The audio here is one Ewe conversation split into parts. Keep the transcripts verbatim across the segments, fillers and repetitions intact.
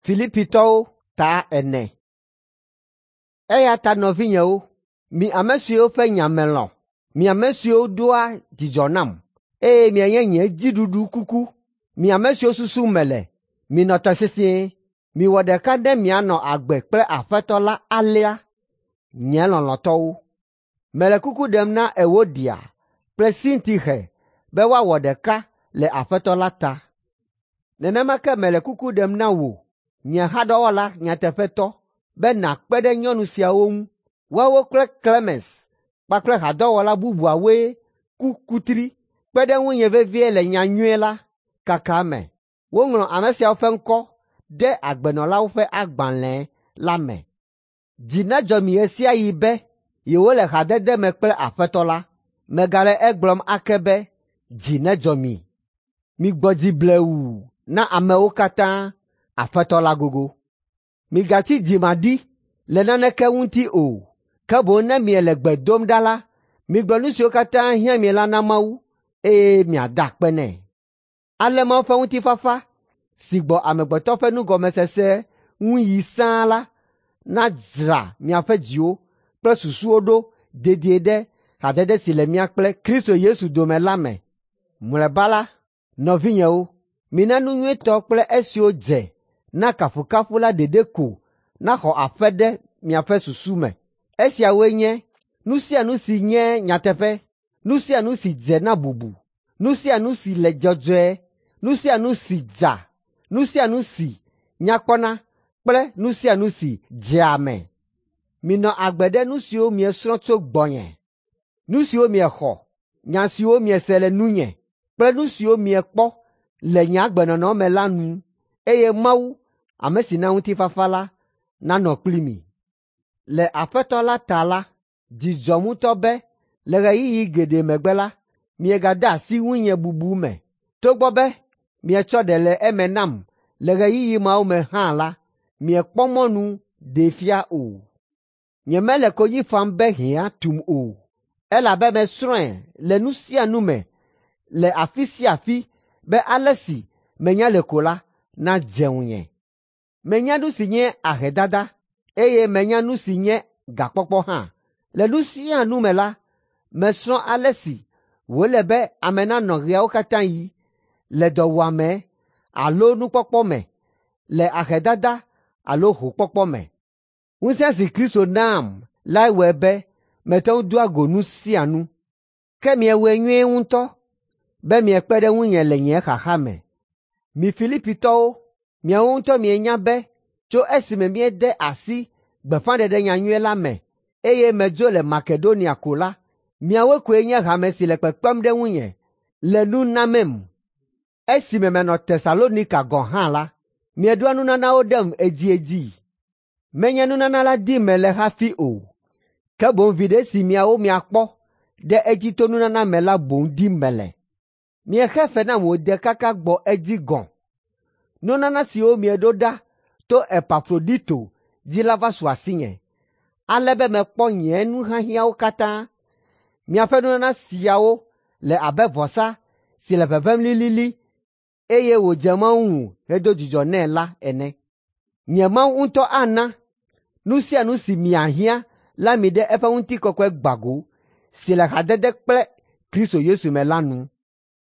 Filipitɔwo ta ene. Eya ta nɔvinyewo, mi ame siwo ƒe nya melɔ̃, mi ame siwo doa dzidzɔ nam, eye mienye nye dziɖuɖu kuku, mi ame siwo susum mele, minɔ te sesĩe. Miwɔ ɖeka ne mianɔ agbe kple Aƒetɔ la alea, nye lɔlɔ̃tɔwo. Mele kuku ɖem na Ewodia kple Sintixe be woawɔ ɖeka le Aƒetɔ la ta. Nenema ke mele kuku ɖem na wò, nye hadɔwɔla nyateƒetɔ, be nàkpe ɖe nyɔnu siawo ŋu. Woawo kple Klemens kpakple hadɔwɔla bubuawoe ku kutri kpe ɖe ŋunye vevie le nyanyui la kaka me. Woŋlɔ ame siawo ƒe ŋkɔ ɖe agbenɔlawo ƒe agbalẽ la me. Dzi nedzɔ mi ɣe sia ɣi be yewole hadede me kple Aƒetɔ la. Megale egblɔm ake be dzi nedzɔ mi. Migbɔ dzi blewu na amewo katã, Aƒetɔ la gogo. Migatsi dzimaɖi le naneke ŋuti o, ke boŋ ne miele gbe dom ɖa la, migblɔ nu siwo katã hiã mi la na Mawu, eye miada akpe nɛ. Ale Mawu ƒe ŋutifafa si gbɔ amegbetɔ ƒe nugɔmesese ŋu yi sãa la nadzra miaƒe dziwo kple susuwo ɖo dedie ɖe hadede si le mía kple Kristo Yesu dome la me. Mlɔeba la, nɔvinyewo, mina nu nyuitɔ kple esiwo dze na kafukafu la ɖeɖe ko naxɔ aƒe ɖe miaƒe susu me. Esiawoe nye nu sia nu si nye nyateƒe, nu sia nu si dze na bubu, nu sia nu si le dzɔdzɔe, nu sia nu si dza, nu sia nu si nya kpɔna kple nu sia nu si dzea ame. Minɔ agbe ɖe nu siwo miesrɔ̃ tso gbɔnye, nu siwo miexɔ, nya siwo miese le nunye kple nu siwo miekpɔ le nye agbenɔnɔ me la nu, eye Mawu, ame si na ŋutifafa la, nanɔ kpli mi. Le Aƒetɔ la ta la, dzi dzɔm ŋutɔ be le ɣeyiɣi geɖe megbe la, miegade asi ŋunye bubu me. Togbɔ be mietsɔ ɖe le eme nam le ɣeyiɣi mawo me hã la, miekpɔ mɔnu ɖee fia o. Nyemele konyi fam be hiã tum o, elabe mesrɔ̃e le nu sia nu me le afi sia afi be ale si menya le ko la nadze ŋunye. Menya nu si nye ahedada, eye menya nu si nye gakpɔkpɔ hã. Le nu sia nu me la, mesrɔ̃ ale si wòle be ame nanɔ ɣeawo katã ɣi le dɔwuame alo nukpɔkpɔ me, le ahedada alo hokpɔkpɔ me. Ŋusẽ si Kristo nam lae wɔe be mete ŋu doa go nu sia nu. Ke miewɔe nyuie ŋutɔ be miekpe ɖe ŋunye le nye xaxa me. Mi Filipitɔwo, miawo ŋutɔ mienya be tso esime míede asi gbeƒãɖeɖe nyanyui la me, eye medzo le Makedonia ko la, miawo koe nye hame si le kpekpem ɖe ŋunye le nu namem. Esime menɔ Tesalonika gɔ̃ hã la, mieɖoa nunanawo ɖem edziedzi. Menye nunana la dim mele hafi o, ke boŋ viɖe si miawo miakpɔ ɖe edzi to nunana me la boŋ dim mele. Miexe fe nam wòde kaka gbɔ edzi gɔ̃. Nunana siwo mieɖo ɖa to Epafrodito dzi la va su asinye, ale be mekpɔ nye nuhiahiãwo katã. Miaƒe nunana siawo le abe vɔsa si le ʋeʋẽm lilili, eye wòdze Mawu ŋu hedo dzidzɔ nɛ la ene. Nye Mawu ŋutɔ ana nu sia nu si miahiã la mi ɖe eƒe ŋutikɔkɔe gbago si le hadede kple Kristo Yesu me la nu.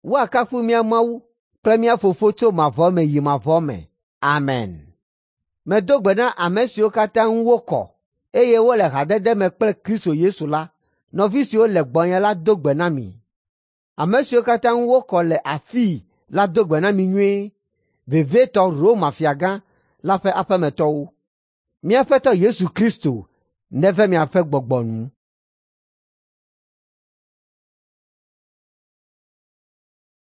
Woakafu mía Mawu kple mía Fofo tso mavɔ me yi mavɔ me. Amen. Medo gbe na ame siwo katã ŋu wokɔ, eye wole hadede me kple Kristo Yesu la. Nɔvi siwo le gbɔnye la do gbe na mi. Ame siwo katã ŋu wokɔ le afii la do gbe na mi nyuie, vevietɔ Roma fiagã la ƒe aƒemetɔwo. Mía Aƒetɔ Yesu Kristo neve miaƒe gbɔgbɔ nu.